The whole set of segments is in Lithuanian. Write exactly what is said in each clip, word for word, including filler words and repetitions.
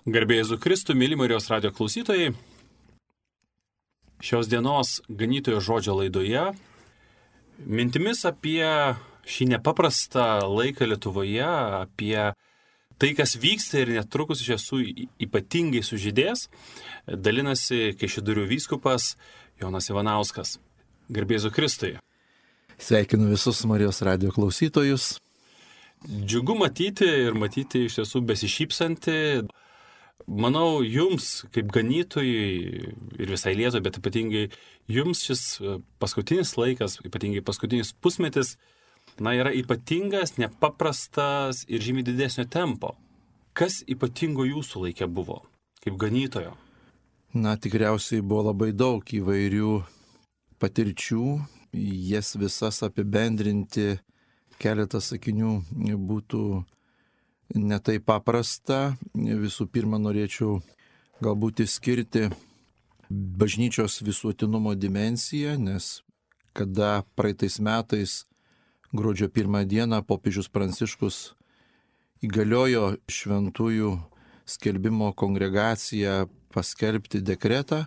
Garbė Jėzų Kristų, myli Marijos radijo klausytojai. Šios dienos ganytojo žodžio laidoje mintimis apie šį nepaprastą laiką Lietuvoje, apie tai, kas vyksta ir netrukus iš tiesų ypatingai sužydės, dalinasi Kaišiadorių vyskupas Jonas Ivanauskas. Garbė Jėzų Kristui. Sveikinu visus Marijos radijo klausytojus. Džiugu matyti ir matyti iš tiesų besišypsantį. Manau, jums, kaip ganytojui ir visai Lietuvai, bet ypatingai jums šis paskutinis laikas, ypatingai paskutinis pusmetis, na, yra ypatingas, nepaprastas ir žymiai didesnio tempo. Kas ypatingo jūsų laikė buvo, kaip ganytojo? Na, tikriausiai buvo labai daug įvairių patirčių, jas visas apibendrinti keletą sakinių būtų netai paprasta. Visų pirma, norėčiau galbūt išskirti bažnyčios visuotinumo dimensiją, nes kada praeitais metais gruodžio pirmą dieną popiežius Pranciškus įgaliojo šventųjų skelbimo kongregaciją paskelbti dekretą,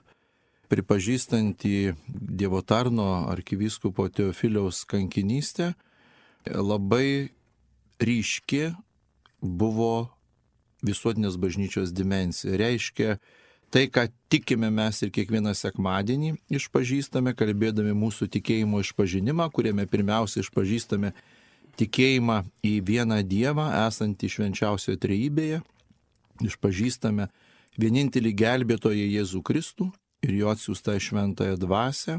pripažįstantį Dievo tarno arkivyskupo Teofiliaus kankinystę, labai ryški buvo visuotinės bažnyčios dimensija. Reiškia, tai, ką tikime mes ir kiekvieną sekmadienį išpažįstame, kalbėdami mūsų tikėjimo išpažinimą, kuriame pirmiausia išpažįstame tikėjimą į vieną Dievą, esantį švenčiausioje trejybėje, išpažįstame vienintelį gelbėtoją Jėzų Kristų ir jo atsiųstą šventąją dvasią.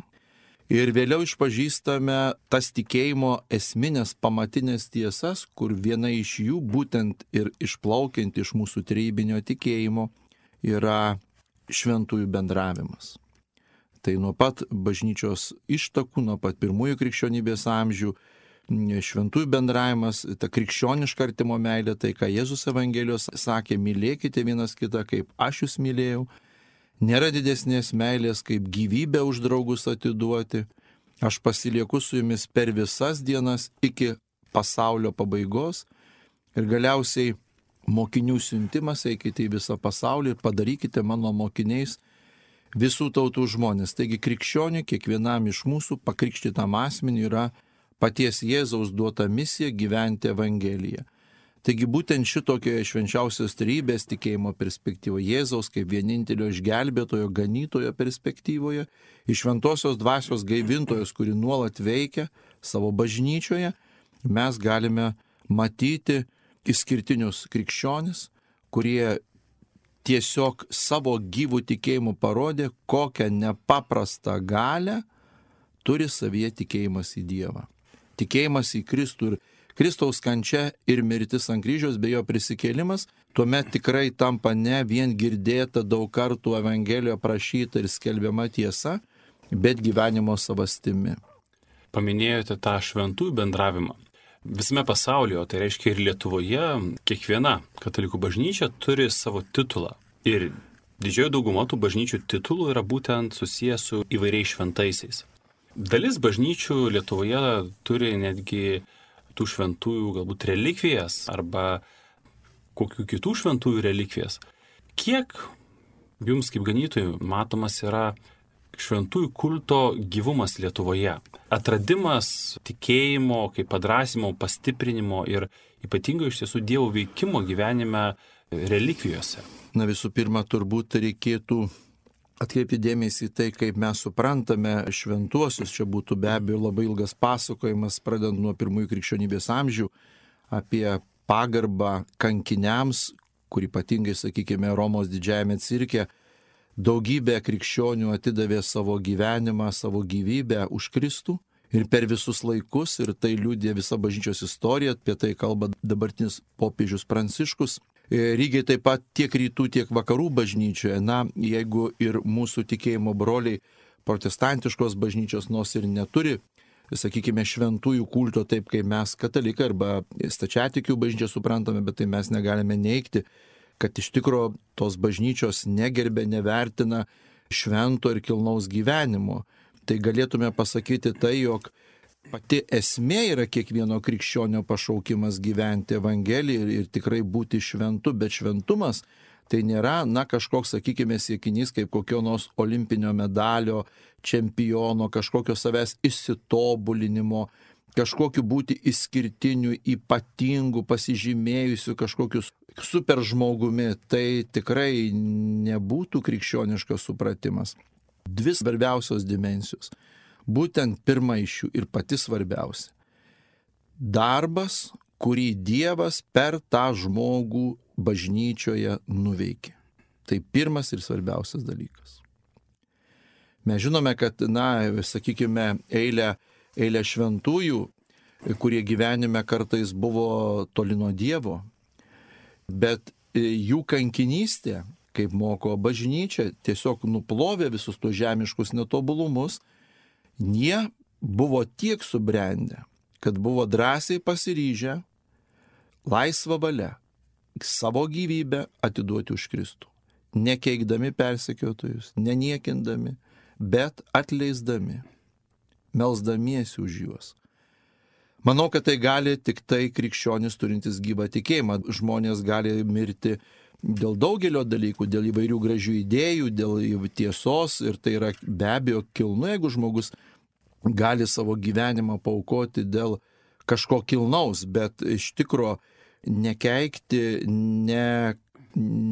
Ir vėliau išpažįstame tas tikėjimo esminės pamatinės tiesas, kur viena iš jų, būtent ir išplaukiant iš mūsų trejybinio tikėjimo, yra šventųjų bendravimas. Tai nuo pat bažnyčios ištakų, nuo pat pirmųjų krikščionybės amžių, šventųjų bendravimas, ta krikščioniška artimo meilė, tai ką Jėzus Evangelijos sakė, mylėkite vienas kitą, kaip aš jūs mylėjau. Nėra didesnės meilės, kaip gyvybę už draugus atiduoti. Aš pasilieku su jumis per visas dienas iki pasaulio pabaigos. Ir galiausiai mokinių siuntimas, eikite į visą pasaulį ir padarykite mano mokiniais visų tautų žmonės. Taigi krikščioniui, kiekvienam iš mūsų pakrikštytam asmeniui yra paties Jėzaus duota misija gyventi Evangeliją. Taigi būtent šitokioje švenčiausios trejybės tikėjimo perspektyvoje, Jėzaus kaip vienintelio išgelbėtojo, ganytojo perspektyvoje, iš šventosios dvasios gaivintojos, kuri nuolat veikia savo bažnyčioje, mes galime matyti išskirtinius krikščionis, kurie tiesiog savo gyvų tikėjimų parodė, kokią nepaprastą galią turi savyje tikėjimas į Dievą. Tikėjimas į Kristų ir Kristaus kančia ir mirtis ant kryžiaus bei jo prisikėlimas, tuomet tikrai tampa ne vien girdėta daug kartų Evangelijoje prašyta ir skelbiama tiesa, bet gyvenimo savastimi. Paminėjote tą šventųjų bendravimą. Visame pasaulyje, tai reiškia ir Lietuvoje, kiekviena katalikų bažnyčia turi savo titulą. Ir didžioji dauguma tų bažnyčių titulų yra būtent susijęs su įvairiais šventaisiais. Dalis bažnyčių Lietuvoje turi netgi tų šventųjų galbūt relikvijas arba kokių kitų šventųjų relikvijas. Kiek jums kaip ganytojų matomas yra šventųjų kulto gyvumas Lietuvoje? Atradimas tikėjimo, kaip padrąsimo, pastiprinimo ir ypatingai iš tiesų Dievo veikimo gyvenime relikvijose. Na, visų pirma, turbūt reikėtų atkreipti dėmesį į tai, kaip mes suprantame šventuosius. Čia būtų be abejo labai ilgas pasakojimas, pradedant nuo pirmųjų krikščionybės amžių, apie pagarbą kankiniams, kur ypatingai, sakykime, Romos didžiajame cirke daugybė krikščionių atidavė savo gyvenimą, savo gyvybę už Kristų. Ir per visus laikus, ir tai liudija visa bažnyčios istorija, apie tai kalba dabartinis popiežius Pranciškus. Lygiai taip pat tiek rytų, tiek vakarų bažnyčioje, na, jeigu ir mūsų tikėjimo broliai protestantiškos bažnyčios nors ir neturi, sakykime, šventųjų kulto taip, kaip mes katalikai arba stačiatikių bažnyčią suprantame, bet tai mes negalime neigti, kad iš tikro tos bažnyčios negerbė, nevertina švento ir kilnaus gyvenimo. Tai galėtume pasakyti tai, jog Pati esmė yra kiekvieno krikščionio pašaukimas gyventi Evangeliją ir, ir tikrai būti šventu, bet šventumas tai nėra, na, kažkoks, sakykime, siekinys kaip kokio nors olimpinio medalio, čempiono, kažkokio savęs išsitobulinimo, kažkokiu būti išskirtiniu, ypatingu, pasižymėjusiu kažkokiu super žmogumi. Tai tikrai nebūtų krikščioniškas supratimas. Dvi svarbiausios dimensijos. Būtent pirma iš jų ir pati svarbiausia. Darbas, kurį Dievas per tą žmogų bažnyčioje nuveikė. Tai pirmas ir svarbiausias dalykas. Mes žinome, kad, na, sakykime, eilę, eilę šventųjų, kurie gyvenime kartais buvo toli nuo Dievo, bet jų kankinystė, kaip moko bažnyčia, tiesiog nuplovė visus tos žemiškus netobulumus. Jie buvo tiek subrendę, kad buvo drąsiai pasiryžę laisvą valią savo gyvybę atiduoti už Kristų. Nekeikdami persekiotojus, neniekindami, bet atleisdami, melsdamiesi už juos. Manau, kad tai gali tik tai krikščionis turintis gyvą tikėjimą. Žmonės gali mirti dėl daugelio dalykų, dėl įvairių gražių idėjų, dėl tiesos, ir tai yra be abejo kilnu, jeigu žmogus gali savo gyvenimą paaukoti dėl kažko kilnaus, bet iš tikro nekeikti, ne,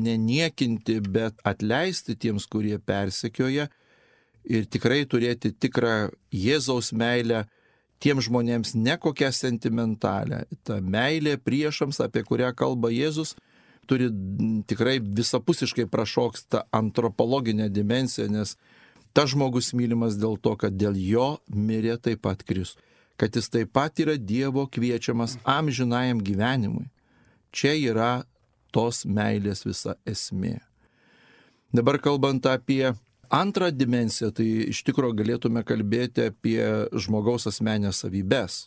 neniekinti, bet atleisti tiems, kurie persekioja, ir tikrai turėti tikrą Jėzaus meilę tiems žmonėms, ne kokią sentimentalę. Ta meilė priešams, apie kurią kalba Jėzus, turi tikrai visapusiškai prašoksta antropologinę dimensiją, nes tas žmogus mylimas dėl to, kad dėl jo mirė taip pat Kristus, kad jis taip pat yra Dievo kviečiamas amžinajam gyvenimui. Čia yra tos meilės visa esmė. Dabar kalbant apie antrą dimensiją, tai iš tikro galėtume kalbėti apie žmogaus asmenės savybės,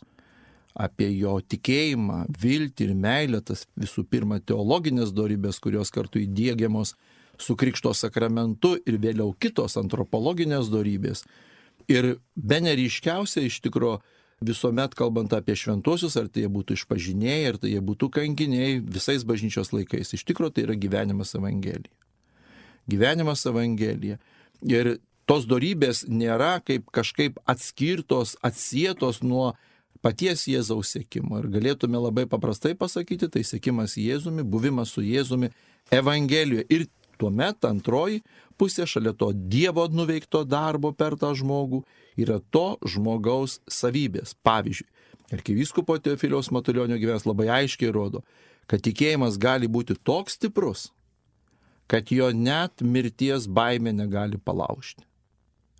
apie jo tikėjimą, viltį ir meilę, tas visų pirma teologinės dorybės, kurios kartu įdiegiamos su Krikšto sakramentu, ir vėliau kitos antropologinės dorybės. Ir bene ryškiausia iš tikro visuomet kalbant apie šventuosius, ar tai jie būtų išpažinėjai, ar tai jie būtų kankiniai, visais bažnyčios laikais. Iš tikro tai yra gyvenimas Evangelija. Gyvenimas Evangelija. Ir tos dorybės nėra kaip kažkaip atskirtos, atsietos nuo paties Jėzaus sekimo. Ir galėtume labai paprastai pasakyti, tai sekimas Jėzumi, buvimas su Jėzumi Evangelijoje. Ir tuomet antroji pusė šalia to Dievo nuveikto darbo per tą žmogų yra to žmogaus savybės. Pavyzdžiui, arkivyskupo Teofiliaus Matulionio gyvenimas labai aiškiai rodo, kad tikėjimas gali būti toks stiprus, kad jo net mirties baimė negali palaužti.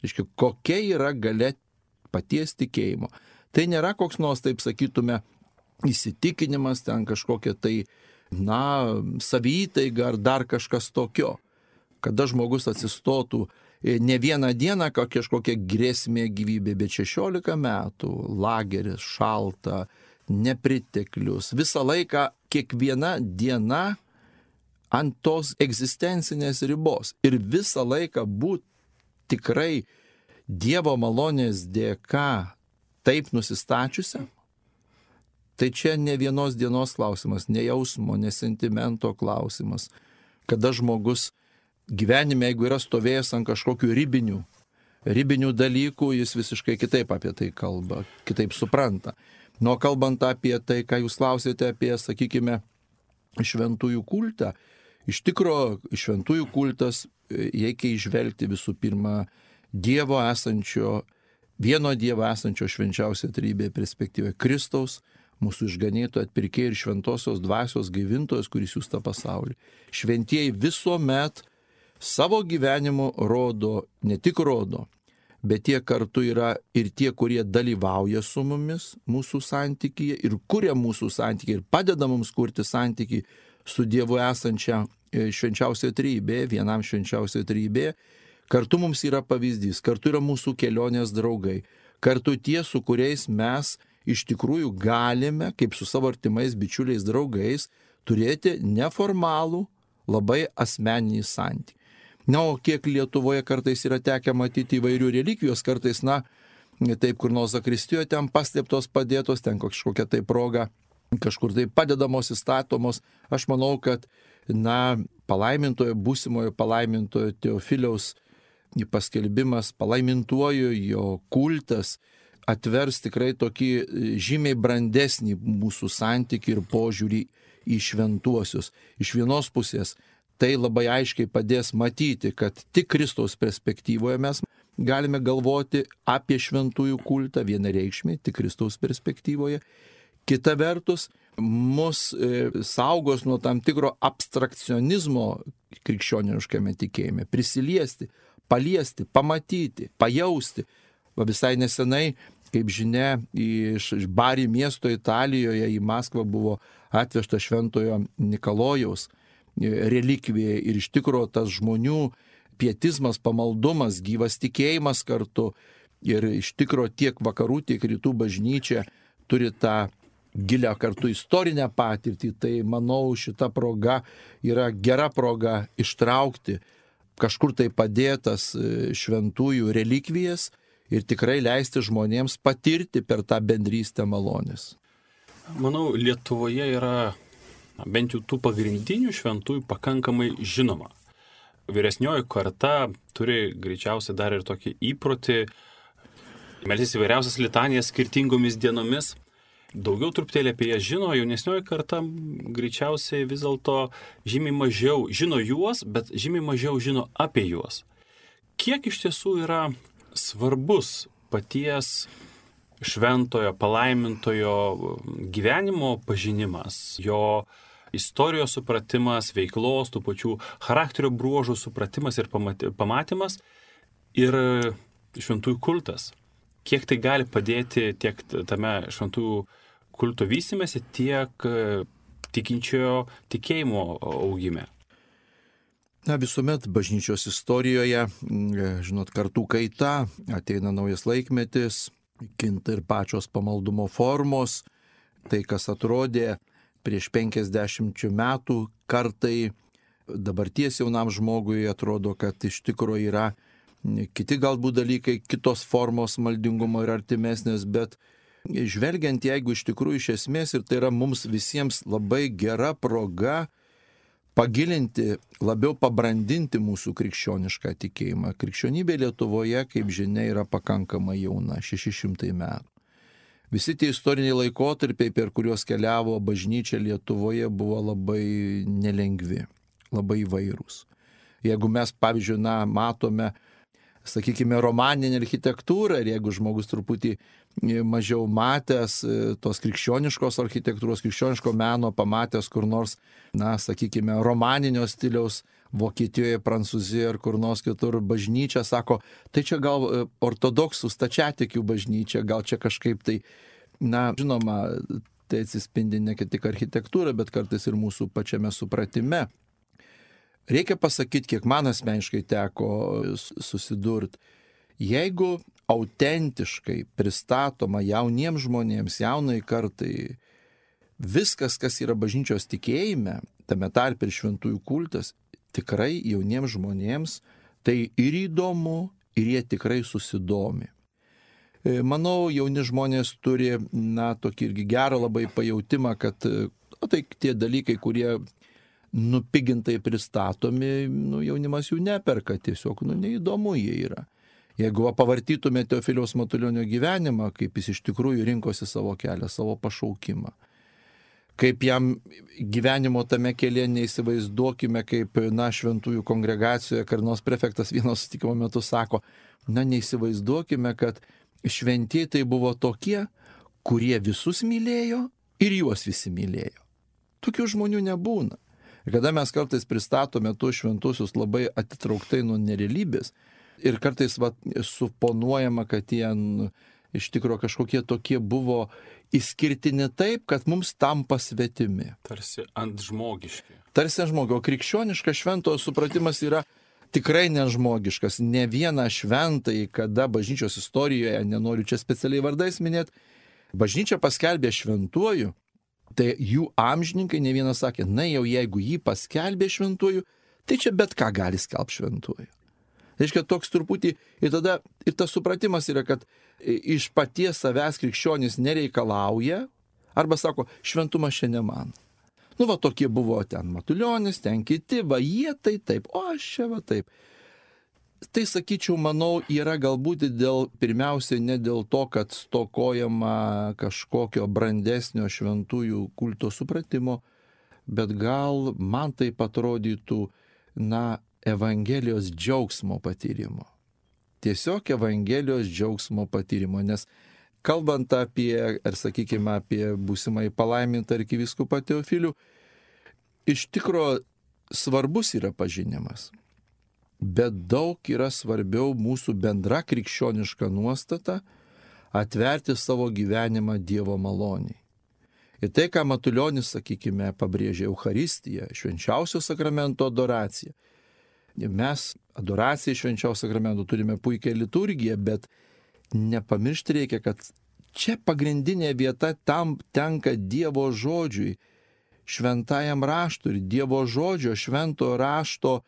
Reiškia, kokia yra galia paties tikėjimo. Tai nėra koks nors, taip sakytume, įsitikinimas, ten kažkokia tai, na, savytaiga ar dar kažkas tokio. Kada žmogus atsistotų ne vieną dieną kažkokia grėsmė gyvybė, bet šešiolika metų, lageris, šalta, nepriteklius, visą laiką, kiekviena diena ant tos egzistencinės ribos ir visą laiką būti tikrai Dievo malonės dėka taip nusistačiusiam. Tai čia ne vienos dienos klausimas, ne jausmo, ne sentimento klausimas. Kada žmogus gyvenime, jeigu yra stovėjęs ant kažkokių ribinių, ribinių dalykų, jis visiškai kitaip apie tai kalba, kitaip supranta. Nuo kalbant apie tai, ką jūs klausėte apie, sakykime, šventųjų kultą, iš tikro šventųjų kultas reikia įžvelgti visų pirma Dievo esančio, vieno Dievo esančio švenčiausio trejybėje perspektyvoje, Kristaus, mūsų išganytojo, atpirkėjo ir šventosios dvasios gaivintojas, kuris siųsta pasaulį. Šventieji visuomet savo gyvenimu rodo, ne tik rodo, bet tie kartu yra ir tie, kurie dalyvauja su mumis mūsų santykyje ir kuria mūsų santykiai ir padeda mums kurti santykį su Dievu esančia švenčiausioje trejybėje, vienam švenčiausioje trejybėje. Kartu mums yra pavyzdys, kartu yra mūsų kelionės draugai, kartu tie, su kuriais mes iš tikrųjų galime, kaip su savo artimais bičiuliais draugais, turėti neformalų, labai asmeninį santykį. Na, o kiek Lietuvoje kartais yra tekę matyti įvairių relikvijos, kartais, na, taip kur nors zakristijoje ten paslėptos padėtos, ten kažkokia tai proga, kažkur tai padedamos, įstatomos. Aš manau, kad, na, palaimintojo, būsimojo palaimintojo Teofiliaus paskelbimas, palaimintuoju jo kultas atvers tikrai tokį žymiai brandesnį mūsų santykį ir požiūrį į šventuosius. Iš vienos pusės tai labai aiškiai padės matyti, kad tik Kristaus perspektyvoje mes galime galvoti apie šventųjų kultą vienareikšmiai, tik Kristaus perspektyvoje. Kita vertus, mus e, saugos nuo tam tikro abstrakcionizmo krikščioniškame tikėjime, prisiliesti, paliesti, pamatyti, pajausti. Va visai nesenai, kaip žinia, iš Bari miesto Italijoje į Maskvą buvo atvežta šventojo Nikalojaus relikvija ir iš tikro tas žmonių pietizmas, pamaldumas, gyvas tikėjimas kartu ir iš tikro tiek vakarų, tiek rytų bažnyčia turi tą gilią kartu istorinę patirtį, tai manau šita proga yra gera proga ištraukti kažkur tai padėtas šventųjų relikvijas ir tikrai leisti žmonėms patirti per tą bendrystę malonės. Manau, Lietuvoje yra bent jau tų pagrindinių šventųjų pakankamai žinoma. Vyresnioji karta turi greičiausiai dar ir tokį įprotį melstis įvairiausias litanijas skirtingomis dienomis. Daugiau truputėlį apie jas žino, jaunesnioji karta greičiausiai vis dėlto žymiai mažiau žino juos, bet žymiai mažiau žino apie juos. Kiek iš tiesų yra svarbus paties šventojo, palaimintojo gyvenimo pažinimas, jo istorijos supratimas, veiklos, tų pačių charakterio bruožų supratimas ir pamatymas ir šventųjų kultas. Kiek tai gali padėti tiek tame šventųjų kulto vystymėsi, tiek tikinčiojo tikėjimo augime. Na, visuomet bažnyčios istorijoje, žinot, kartų kaita, ateina naujas laikmetis, kinta ir pačios pamaldumo formos, tai kas atrodė prieš penkiasdešimt metų kartai, dabarties jaunam žmogui atrodo, kad iš tikrųjų yra kiti galbūt dalykai, kitos formos maldingumo ir artimesnės, bet žvelgiant, jeigu iš tikrųjų iš esmės, ir tai yra mums visiems labai gera proga pagilinti, labiau pabrandinti mūsų krikščionišką tikėjimą. Krikščionybė Lietuvoje, kaip žinia, yra pakankamai jauna, šeši šimtai metų. Visi tie istoriniai laikotarpiai, per kuriuos keliavo bažnyčia Lietuvoje, buvo labai nelengvi, labai įvairūs. Jeigu mes, pavyzdžiui, na, matome, sakykime, romaninę architektūrą, ir jeigu žmogus truputį mažiau matęs tos krikščioniškos architektūros, krikščioniško meno, pamatęs kur nors, na, sakykime, romaninio stiliaus Vokietijoje, Prancūzijoje ar kur nors kitur bažnyčia, sako, tai čia gal ortodoksų stačiatikių bažnyčia, gal čia kažkaip tai, na, žinoma, tai atsispindi ne tik architektūra, bet kartais ir mūsų pačiame supratime. Reikia pasakyti, kiek man asmeniškai teko susidurti, jeigu autentiškai pristatoma jauniems žmonėms, jaunai kartai, viskas, kas yra bažnyčios tikėjime, tame tarpe ir šventųjų kultas, tikrai jauniems žmonėms tai ir įdomu, ir jie tikrai susidomi. Manau, jauni žmonės turi, na, tokį irgi gerą labai pajautimą, kad o, tai tie dalykai, kurie nupigintai pristatomi, nu, jaunimas jų neperka, tiesiog, nu, neįdomu jie yra. Jeigu va, pavartytume Teofiliaus Matulionio gyvenimą, kaip jis iš tikrųjų rinkosi savo kelią, savo pašaukimą, kaip jam gyvenimo tame kelyje neįsivaizduokime, kaip, na, šventųjų kongregacijoje Karnos prefektas vieno susitikimo metu sako, na, neįsivaizduokime, kad šventieji tai buvo tokie, kurie visus mylėjo ir juos visi mylėjo. Tokių žmonių nebūna. Ir kada mes kartais pristatome tuos šventusius labai atitrauktai nuo nerealybės ir kartais va, suponuojama, kad jie iš tikrųjų kažkokie tokie buvo išskirtini taip, kad mums tampa svetimi. Tarsi ant žmogiški. Tarsi ant žmogio. O krikščioniškas šventojo supratimas yra tikrai nežmogiškas. Ne vieną šventąjį, kada bažnyčios istorijoje, nenoriu čia specialiai vardais minėti, bažnyčia paskelbė šventuoju, tai jų amžininkai ne vienas sakė, na jau jeigu jį paskelbė šventuoju, tai čia bet ką gali skelbti šventuoju. Reiškia, toks truputį, ir tada ir tas supratimas yra, kad iš paties savęs krikščionis nereikalauja, arba sako, šventumas čia ne man. Nu, va, tokie buvo ten Matulionis, ten kiti, va, jie tai taip, o aš čia va taip. Tai, sakyčiau, manau, yra galbūt dėl, pirmiausiai ne dėl to, kad stokojama kažkokio brandesnio šventųjų kulto supratimo, bet gal man tai atrodytų, na, Evangelijos džiaugsmo patyrimo. Tiesiog Evangelijos džiaugsmo patyrimo, nes kalbant apie, ar sakykime, apie būsimai palaimintą arkivyskupą Teofilių, iš tikro svarbus yra pažinimas. Bet daug yra svarbiau mūsų bendra krikščioniška nuostata atverti savo gyvenimą Dievo maloniai. Ir tai, ką Matulionis, sakykime, pabrėžė Eucharistiją, švenčiausio sakramento adoraciją. Mes adoraciją švenčiausio sakramento turime puikią liturgiją, bet nepamiršti reikia, kad čia pagrindinė vieta tam tenka Dievo žodžiui, šventajam raštui ir Dievo žodžio, švento rašto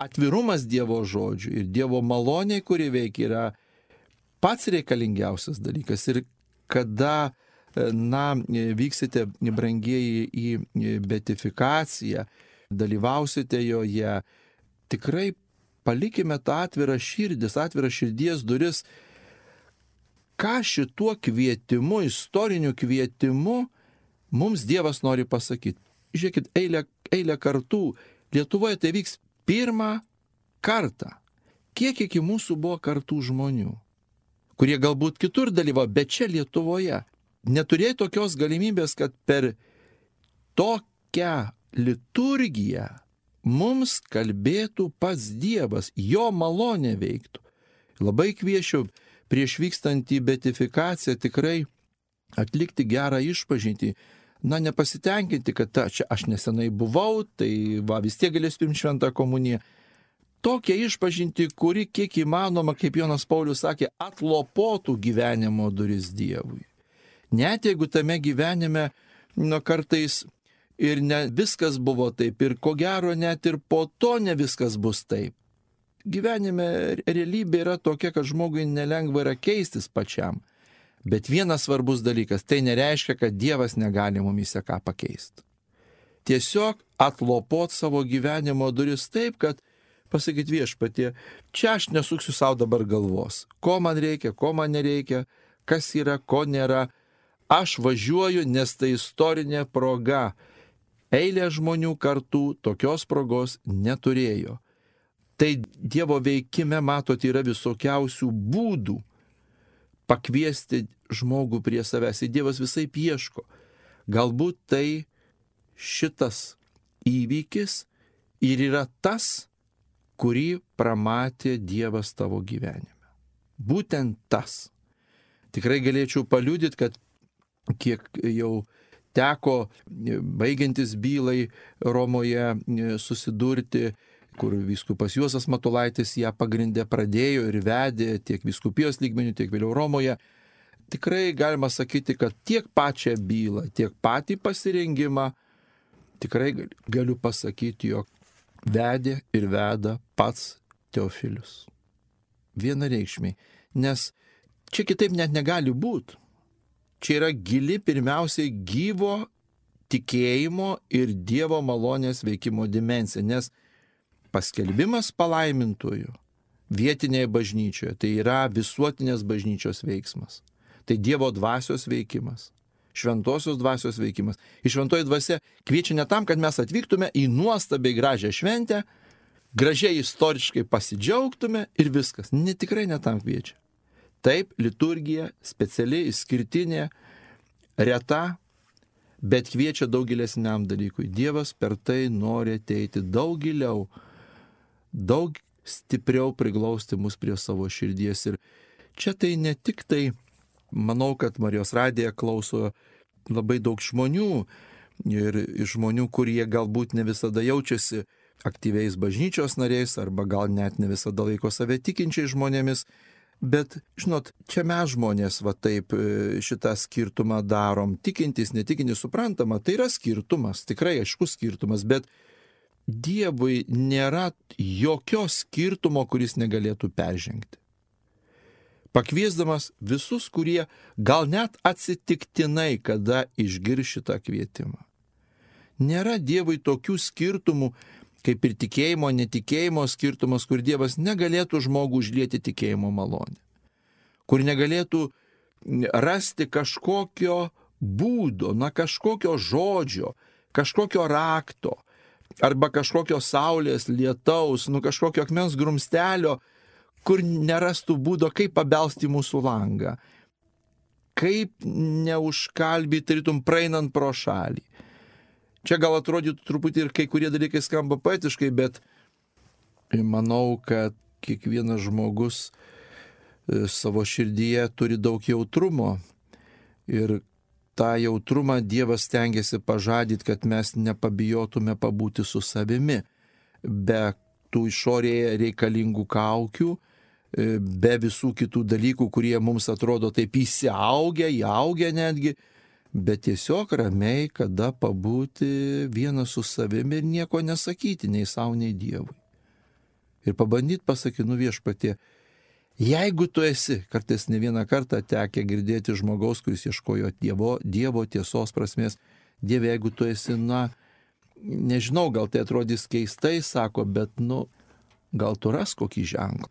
atvirumas Dievo žodžiui ir Dievo maloniai, kuri veikia, yra pats reikalingiausias dalykas. Ir kada, na, vyksite, brangieji, į beatifikaciją, dalyvausite joje, tikrai palikime tą atvirą širdis, atvirą širdies duris, ką šituo kvietimu, istoriniu kvietimu mums Dievas nori pasakyti. Žiūrėkit, eilę, eilę kartų Lietuvoje tai vyks pirmą kartą. Kiek iki mūsų buvo kartų žmonių, kurie galbūt kitur dalyvavo, bet čia Lietuvoje neturėjo tokios galimybės, kad per tokią liturgiją mums kalbėtų pats Dievas, jo malonė veiktų. Labai kviečiu prieš vykstant į beatifikaciją tikrai atlikti gerą išpažintį. Na, nepasitenkinti, kad ta, čia aš nesenai buvau, tai va, vis tiek galės priimti šventą komuniją. Tokia išpažinti, kuri kiek įmanoma, kaip Jonas Paulius sakė, atlopotų gyvenimo duris Dievui. Net jeigu tame gyvenime, nu, kartais ir ne viskas buvo taip, ir ko gero net ir po to ne viskas bus taip. Gyvenime realybė yra tokia, kad žmogui nelengva yra keistis pačiam. Bet vienas svarbus dalykas, tai nereiškia, kad Dievas negali mumise ką pakeisti. Tiesiog atlopot savo gyvenimo duris taip, kad pasakyti Viešpatie, čia aš nesuksiu savo dabar galvos. Ko man reikia, ko man nereikia, kas yra, ko nėra. Aš važiuoju, nes tai istorinė proga. Eilė žmonių kartų tokios progos neturėjo. Tai Dievo veikime, matot, yra visokiausių būdų pakviesti žmogų prie savęs. Ir Dievas visai ieško. Galbūt tai šitas įvykis ir yra tas, kurį pramatė Dievas tavo gyvenime. Būtent tas. Tikrai galėčiau paliudyti, kad kiek jau teko baigiantis bylai Romoje susidurti, kur vyskupas Juozas Matulaitis ją pagrindė pradėjo ir vedė tiek vyskupijos lygmenių, tiek vėliau Romoje. Tikrai galima sakyti, kad tiek pačią bylą, tiek patį pasirengimą, tikrai galiu pasakyti, jog vedė ir veda pats Teofilius. Vienareikšmiai. Nes čia kitaip net negali būti. Čia yra gili pirmiausiai gyvo tikėjimo ir Dievo malonės veikimo dimensija, nes paskelbimas palaimintojų vietinėje bažnyčioje tai yra visuotinės bažnyčios veiksmas. Tai Dievo dvasios veikimas, šventosios dvasios veikimas. Ir šventoji dvasia kviečia ne tam, kad mes atvyktume į nuostabiai gražią šventę, gražiai istoriškai pasidžiaugtume ir viskas. Ne, tikrai ne tam kviečia. Taip, liturgija speciali, išskirtinė, reta, bet kviečia daug gilesniam dalykui. Dievas per tai nori ateiti daug giliau, daug stipriau priglausti mus prie savo širdies. Ir čia tai ne tik tai, manau, kad Marijos radiją klauso labai daug žmonių ir žmonių, kurie galbūt ne visada jaučiasi aktyviais bažnyčios nariais arba gal net ne visada laiko save tikinčiais žmonėmis. Bet, žinot, čia mes žmonės va taip šitą skirtumą darom. Tikintis, netikintis, suprantama, tai yra skirtumas, tikrai aiškus skirtumas, bet Dievui nėra jokio skirtumo, kuris negalėtų peržengti. Pakviesdamas visus, kurie gal net atsitiktinai kada išgirs šitą kvietimą. Nėra Dievui tokių skirtumų, kaip ir tikėjimo, netikėjimo skirtumas, kur Dievas negalėtų žmogų užlieti tikėjimo malonę, kur negalėtų rasti kažkokio būdo, na kažkokio žodžio, kažkokio rakto, arba kažkokio saulės, lietaus, nu kažkokio akmens grumstelio, kur nerastų būdo, kaip pabelsti mūsų langą, kaip neužkalbyti, tarytum praeinant pro šalį. Čia gal atrodytų truputį ir kai kurie dalykai skamba poetiškai, bet manau, kad kiekvienas žmogus savo širdyje turi daug jautrumo ir tą jautrumą Dievas stengiasi pažadyti, kad mes nepabijotume pabūti su savimi, be tų išorėje reikalingų kaukių, be visų kitų dalykų, kurie mums atrodo taip įsiaugę, įaugę netgi, bet tiesiog ramiai, kada pabūti vienas su savimi ir nieko nesakyti nei savo, nei Dievui. Ir pabandyti pasakyti, nu Viešpatie, jeigu tu esi, kartais ne vieną kartą tekę girdėti žmogaus, kuris ieškojo dievo, dievo tiesos prasmės, Dieve, jeigu tu esi, na, nežinau, gal tai atrodys keistai, sako, bet, nu, gal tu ras kokį ženklą.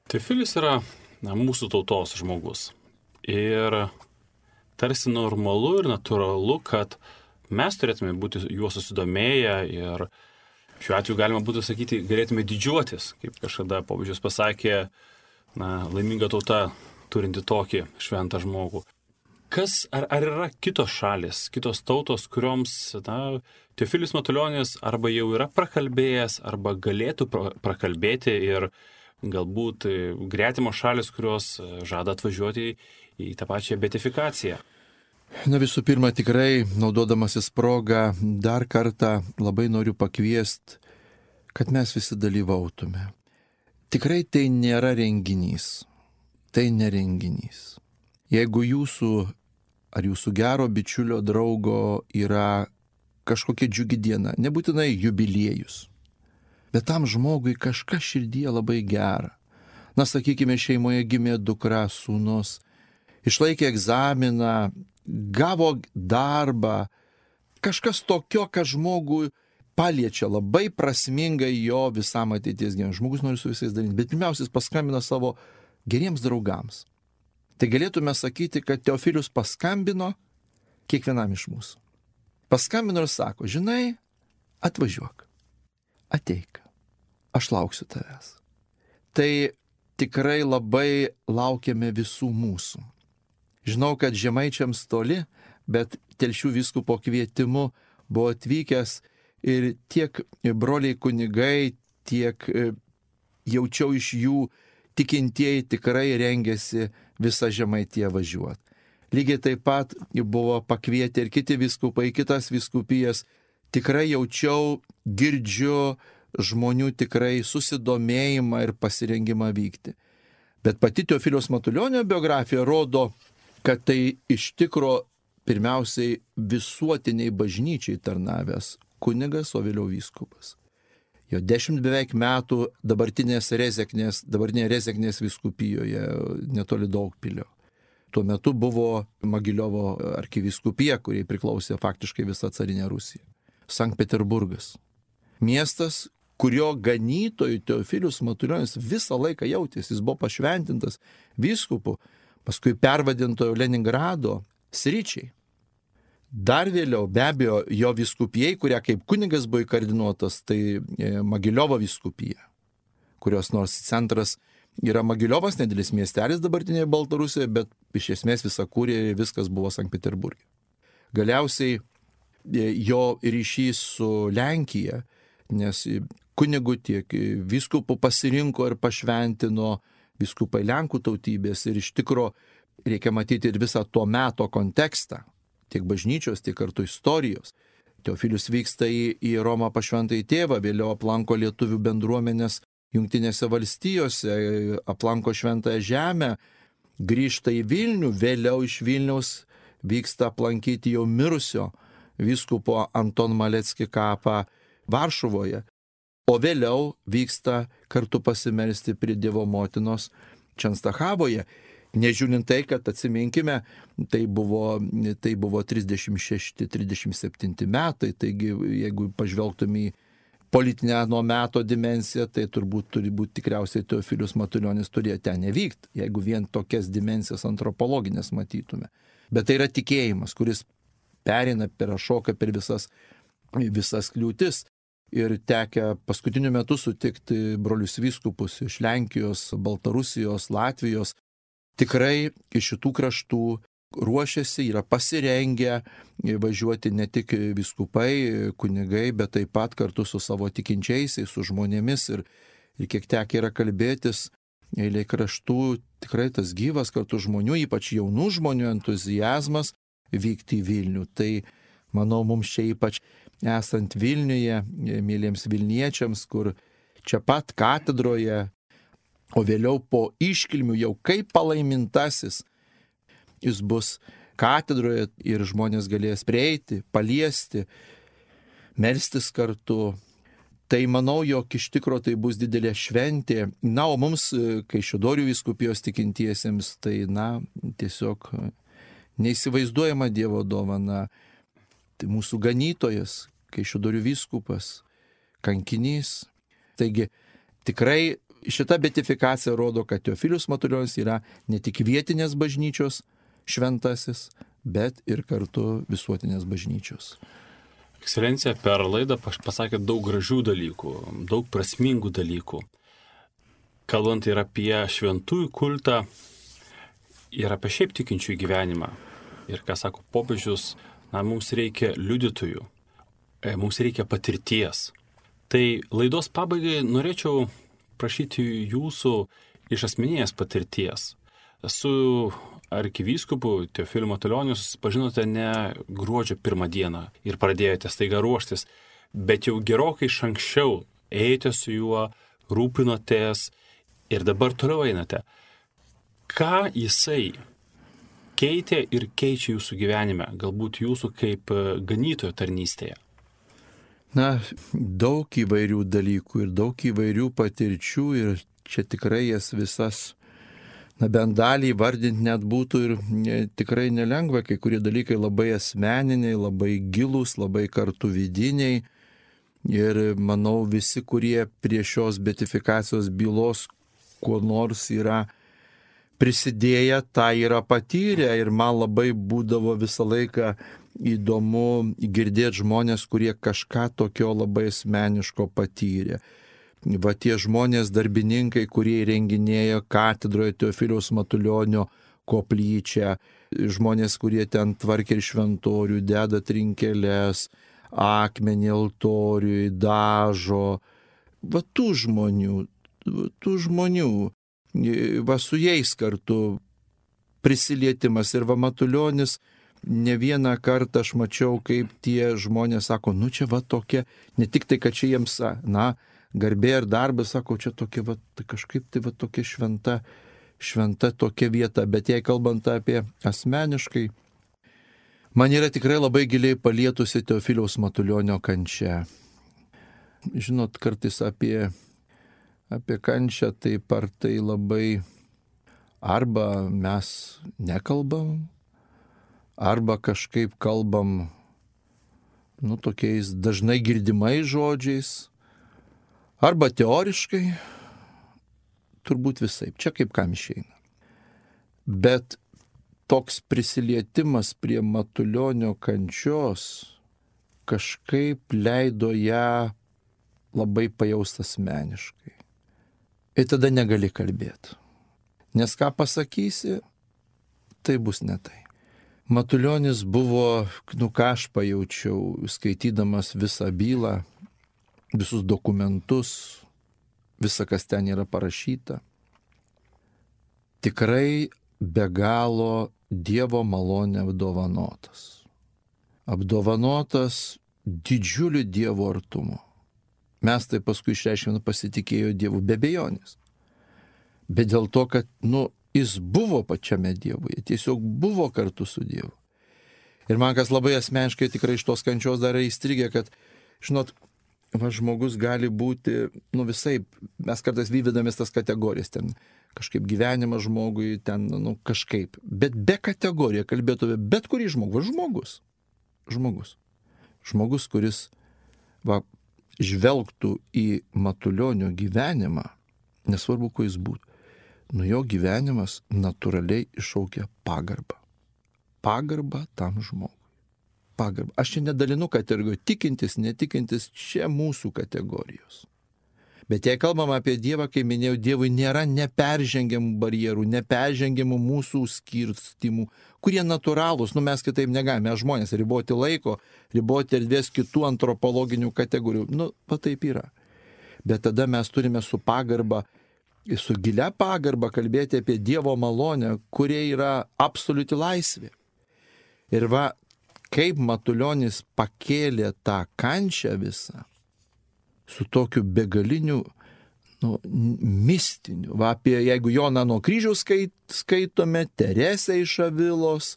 Teofilis yra na, mūsų tautos žmogus. Ir tarsi normalu ir natūralu, kad mes turėtume būti juo susidomėję ir šiuo atveju galima būtų sakyti, galėtume didžiuotis, kaip kažkada popiežius pasakė, na, laiminga tauta turinti tokį šventą žmogų. Kas, ar, ar yra kitos šalis, kitos tautos, kurioms na, Teofilis Matulionis arba jau yra prakalbėjęs, arba galėtų pra, prakalbėti ir galbūt gretimos šalis, kurios žada atvažiuoti į tą pačią beatifikaciją? Na visų pirma, tikrai, naudodamasis progą, dar kartą labai noriu pakviesti, kad mes visi dalyvautume. Tikrai tai nėra renginys. Tai nerenginys. Jeigu jūsų ar jūsų gero bičiulio draugo yra kažkokia džiugi diena, nebūtinai jubiliejus, bet tam žmogui kažkas širdyje labai gera. Na, sakykime, šeimoje gimė dukra, sūnus, išlaikė egzaminą, gavo darbą, kažkas tokio, kad žmogui paliečia labai prasmingai jo visam ateities gyvenimui. Žmogus nori su visais dalinti, bet pirmiausia, paskambina savo geriems draugams. Tai galėtume sakyti, kad Teofilius paskambino kiekvienam iš mūsų. Paskambino ir sako, žinai, atvažiuok, ateik, aš lauksiu tavęs. Tai tikrai labai laukiame visų mūsų. Žinau, kad žemaičiams toli, bet Telšių vyskupo kvietimu buvo atvykęs ir tiek broliai kunigai, tiek jaučiau iš jų tikintieji tikrai rengėsi visą Žemaitiją važiuoti. Lygiai taip pat buvo pakvietę ir kiti vyskupai, kitas vyskupijas. Tikrai jaučiau, girdžiu žmonių tikrai susidomėjimą ir pasirengimą vykti. Bet pati Teofiliaus Matulionio biografija rodo, kad tai iš tikro pirmiausiai visuotiniai bažnyčiai tarnavęs kunigas, o vėliau vyskupas. Jo dešimt beveik metų dabartinės Rezeknės, dabartinėje Rezeknės vyskupijoje netoli Daugpilio. Tuo metu buvo Mogiliovo arkivyskupija, kuriai priklausė faktiškai visa carinė Rusija. Sankt Peterburgas. Miestas, kurio ganytojų Teofilius Matulionis visą laiką jautėsi. Jis buvo pašventintas vyskupu, paskui pervadintojo Leningrado sričiai. Dar vėliau, be abejo, jo vyskupijai, kuria kaip kunigas buvo įkardinuotas, tai Mogiliovo vyskupija, kurios nors centras yra Mogiliovas, nedidelis miestelis dabartinėje Baltarusijoje, bet iš esmės visa kūrė viskas buvo Sankt Peterburge. Galiausiai jo ryšys su Lenkija, nes kunigų tiek vyskupų pasirinko ir pašventino vyskupai Lenkų tautybės ir iš tikro reikia matyti ir visą to meto kontekstą, tiek bažnyčios, tiek kartu istorijos. Teofilius vyksta į, į Romą pas Šventąjį Tėvą, vėliau aplanko lietuvių bendruomenės Jungtinėse valstijose, aplanko Šventąją Žemę, grįžta į Vilnių, vėliau iš Vilniaus vyksta aplankyti jau mirusio vyskupo Anton Malecki kapą Varšuvoje, o vėliau vyksta kartu pasimelsti prie Dievo motinos Čenstachavoje. Nežiūrint tai, kad atsiminkime, tai buvo, tai buvo trisdešimt šešti trisdešimt septinti metai, taigi jeigu pažvelgtume į politinę nuo meto dimensiją, tai turbūt turi būti tikriausiai Teofilius Matulionis turėjo ten nevykti, jeigu vien tokias dimensijas antropologinės matytume. Bet tai yra tikėjimas, kuris perina, peršoka per visas, visas kliūtis. Ir tekę paskutiniu metu sutikti brolius vyskupus iš Lenkijos, Baltarusijos, Latvijos. Tikrai iš šitų kraštų ruošiasi, yra pasirengę važiuoti ne tik vyskupai, kunigai, bet taip pat kartu su savo tikinčiaisiais, su žmonėmis. Ir, ir kiek tekę yra kalbėtis, eilė kraštų tikrai tas gyvas kartu žmonių, ypač jaunų žmonių entuziazmas vykti į Vilnių. Tai manau, mums čia ypač esant Vilniuje, mėlyms Vilniečiams, kur čia pat katedroje, o vėliau po iškilmių jau kaip palaimintasis jis bus katedroje ir žmonės galės prieiti, paliesti, melstis kartu. Tai manau, jog iš tikro tai bus didelė šventė. Na, o mums, Kaišiadorių vyskupijos tikintiesiems, tai, na, tiesiog neįsivaizduojama Dievo dovana. Tai mūsų ganytojas, Kaišiadorių vyskupas, kankinys. Taigi, tikrai šita beatifikacija rodo, kad Teofilius Matulionis yra ne tik vietinės bažnyčios šventasis, bet ir kartu visuotinės bažnyčios. Ekscelencija, per laidą pasakė daug gražių dalykų, daug prasmingų dalykų. Kalbant ir apie šventųjų kultą, ir apie šiaip tikinčiųjų gyvenimą. Ir ką sako popiežius, na, mums reikia liudytojų, mums reikia patirties. Tai laidos pabaigai norėčiau prašyti jūsų iš asmeninės patirties. Su arkivyskupu Teofiliu Matulioniu susipažinote ne gruodžio pirmą dieną ir pradėjote staiga ruoštis, bet jau gerokai iš anksčiau ėjote su juo, rūpinotės ir dabar toliau einate. Ką jisai keitė ir keičia jūsų gyvenime, galbūt jūsų kaip ganytojo tarnystėje? Na, daug įvairių dalykų ir daug įvairių patirčių ir čia tikrai jas visas, na, bent dalį vardinti net būtų ir ne, tikrai nelengva, kai kurie dalykai labai asmeniniai, labai gilūs, labai kartu vidiniai ir manau visi, kurie prie šios beatifikacijos bylos kuo nors yra prisidėję, tą yra patyrę ir man labai būdavo visą laiką įdomu girdėti žmonės, kurie kažką tokio labai asmeniško patyrė. Va tie žmonės, darbininkai, kurie įrenginėjo katedroje Teofiliaus Matulionio koplyčią, žmonės, kurie ten tvarkė ir šventorių, deda trinkeles, akmenį altoriui, dažo. Va tų žmonių, tų žmonių, va su jais kartu prisilietimas ir va Matulionis. Ne vieną kartą aš mačiau, kaip tie žmonės sako, nu čia va tokia, ne tik tai, kad čia jiems, na, garbė ir darbas, sako, čia tokia va, tai kažkaip tai va tokia šventa, šventa tokia vieta, bet jei kalbant apie asmeniškai, man yra tikrai labai giliai palietusi Teofiliaus Matulionio kančia. Žinot, kartais apie, apie kančią taip ar tai labai arba mes nekalbam, arba kažkaip kalbam, nu, tokiais dažnai girdimais žodžiais, arba teoriškai, turbūt visaip, čia kaip kam išeina. Bet toks prisilietimas prie Matulionio kančios kažkaip leido ją labai pajaust asmeniškai. Ir tada negali kalbėti. Nes ką pasakysi, tai bus ne tai. Matulionis buvo, nu ką aš pajaučiau, skaitydamas visą bylą, visus dokumentus, visą, kas ten yra parašyta. Tikrai be galo Dievo malonė apdovanotas. Apdovanotas didžiuliu Dievo artumu. Mes tai paskui išreiškėme pasitikėjo Dievu be abejonės. Bet dėl to, kad, nu, jis buvo pačiame Dievuje, tiesiog buvo kartu su Dievu. Ir man kas labai asmeniškai tikrai iš tos kančios dar įstrigė, kad, žinot, va, žmogus gali būti, nu visai, mes kartais vyvidamės tas kategorijas, ten kažkaip gyvenimas žmogui, ten, nu kažkaip, bet be kategorijų kalbėtume bet kurį žmogų, žmogus, žmogus, žmogus, kuris, va, žvelgtų į Matulionio gyvenimą, nesvarbu, kuo jis būtų, nu jo gyvenimas natūraliai iššaukia pagarbą. Pagarbą tam žmogui. Pagarbą. Aš čia nedalinu kategorijų, tikintis, netikintis, čia mūsų kategorijos. Bet jei kalbam apie Dievą, kaip minėjau, Dievui nėra neperžengiamų barjerų, neperžengiamų mūsų skirstimų, kurie natūralūs, nu mes kitaip negalime, mes žmonės, riboti laiko, riboti erdvės kitų antropologinių kategorijų, nu, va taip yra. Bet tada mes turime su pagarba, su gilia pagarba kalbėti apie Dievo malonę, kurie yra absoliuti laisvė. Ir va, kaip Matulionis pakėlė tą kančią visą, su tokiu begaliniu, nu, mistiniu. Va, apie, jeigu Joną nuo kryžiaus skait, skaitome, Teresę iš Avilos,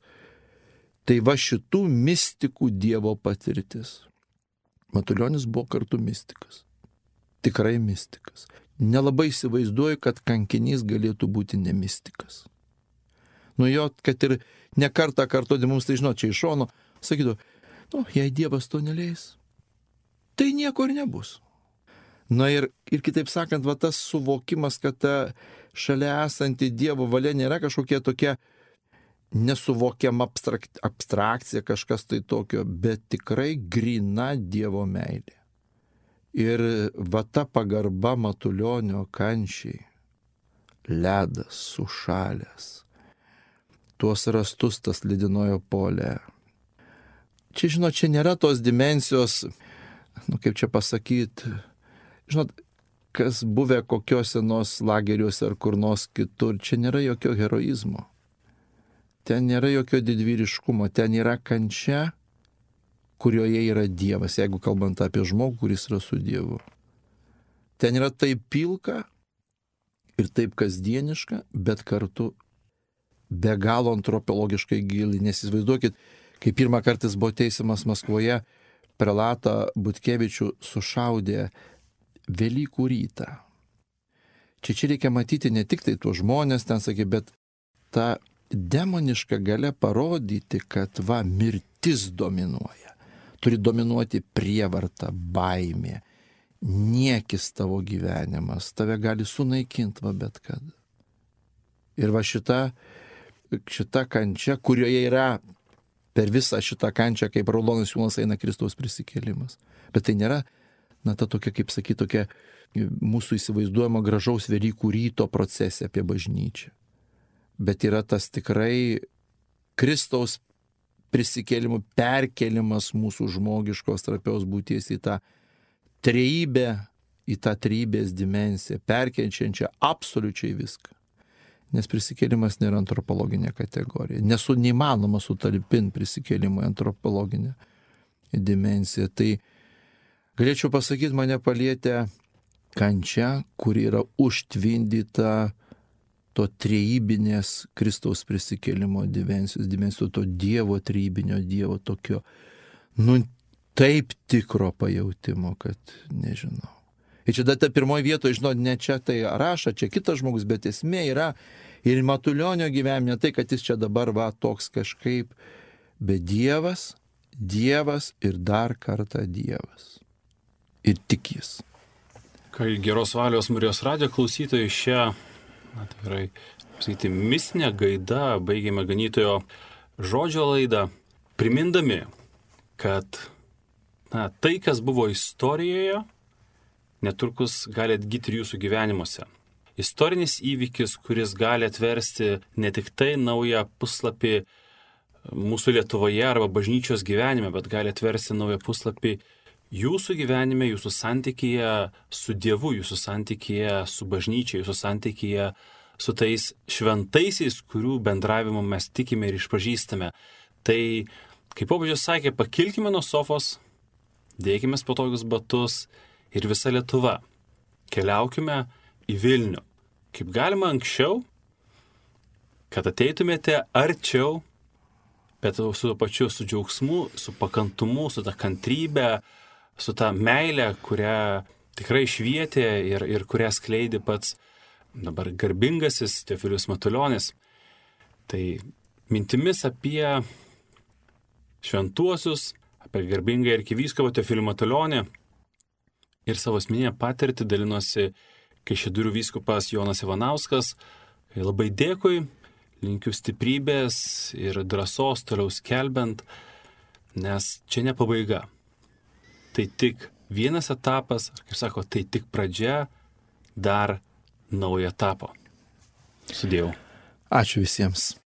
tai va šitų mistikų Dievo patirtis. Matulionis buvo kartu mistikas. Tikrai mistikas. Nelabai įsivaizduoju, kad kankinys galėtų būti nemistikas. Nu jo, kad ir ne kartą kartuoti mums, tai žinot, čia iš šono, sakytų, nu, jei Dievas to neleis, tai nieko ir nebus. Na ir, ir kitaip sakant, va tas suvokimas, kad ta šalia esanti Dievo valia nėra kažkokia tokia nesuvokiama abstrakt, abstrakcija, kažkas tai tokio, bet tikrai grina Dievo meilė. Ir va ta pagarba Matulionio kančiai, ledas sušalęs, tuos rastus tas lydinojo polė. Čia, žinot, čia nėra tos dimensijos, nu kaip čia pasakyti, žinot, kas buvę kokiuose nors lageriuose ar kur nors kitur, čia nėra jokio heroizmo. Ten nėra jokio didvyriškumo, ten yra kančia, kurioje yra Dievas, jeigu kalbant apie žmogų, kuris yra su Dievu. Ten yra taip pilka ir taip kasdieniška, bet kartu be galo antropologiškai gili. Nes įsivaizduokit, kai pirmą kartą jis buvo teisiamas Maskvoje, prelatą Butkevičių sušaudė Velykų rytą. Čia čia reikia matyti ne tik tai tuos žmonės, ten sakė, bet tą demonišką galę parodyti, kad va, mirtis dominuoja. Turi dominuoti prievarta, baimė, niekis tavo gyvenimas, tave gali sunaikinti va bet kada. Ir va šita, šita kančia, kurioje yra per visą šitą kančią, kaip raudonas siūlas eina Kristaus prisikėlimas. Bet tai nėra, na, ta tokia, kaip sakyti, tokia mūsų įsivaizduojama gražaus Velykų ryto procesė apie bažnyčią. Bet yra tas tikrai Kristaus prisikėlimų perkelimas mūsų žmogiškos trapios būties į tą trejybę, į tą trejybės dimensiją, perkenčiančią absoliučiai viską. Nes prisikėlimas nėra antropologinė kategorija. Nesu neįmanoma sutalpinti prisikėlimą į antropologinę dimensiją. Tai galėčiau pasakyti, mane palietė kančia, kuri yra užtvindyta to trejybinės Kristaus prisikėlimo dimensijos, dimensijos to Dievo trejybinio Dievo tokio, nu, taip tikro pajautimo, kad nežinau. Ir čia ta pirmoji vietoje, žinot, ne čia tai raša, čia kitas žmogus, bet esmė yra ir Matulionio gyvenime, tai, kad jis čia dabar va toks kažkaip, bet Dievas, Dievas ir dar kartą Dievas. Ir tik jis. Kai Geros valios Marijos radijo klausytojai šią, na tikrai, sakyti, mistinę gaidą baigėme ganytojo žodžio laidą, primindami, kad na, tai, kas buvo istorijoje, netrukus gali atgyti ir jūsų gyvenimuose. Istorinis įvykis, kuris gali atversti ne tik tai naują puslapį mūsų Lietuvoje arba bažnyčios gyvenime, bet gali atversti naują puslapį jūsų gyvenime, jūsų santykyje su Dievu, jūsų santykyje su bažnyčia, jūsų santykyje su tais šventaisiais, kurių bendravimu mes tikime ir išpažįstame. Tai, kaip popiežius sakė, pakilkime nuo sofos, dėkime patogius batus ir visa Lietuva. Keliaukime į Vilnių. Kaip galima anksčiau, kad ateitumėte arčiau, bet su pačiu, su džiaugsmu, su pakantumu, su ta kantrybė, su ta meile, kurią tikrai švietė ir, ir kurią skleidė pats dabar garbingasis Teofilius Matulionis. Tai mintimis apie šventuosius, apie garbingą arkivyskupą Teofilių Matulionį ir savo asmeninę patirtį dalinosi Kaišiadorių vyskupas Jonas Ivanauskas. Labai dėkui, linkiu stiprybės ir drąsos toliau skelbiant, nes čia ne pabaiga. Tai tik vienas etapas, kaip sako, tai tik pradžia dar naujo etapo. Sudėjau. Ačiū visiems.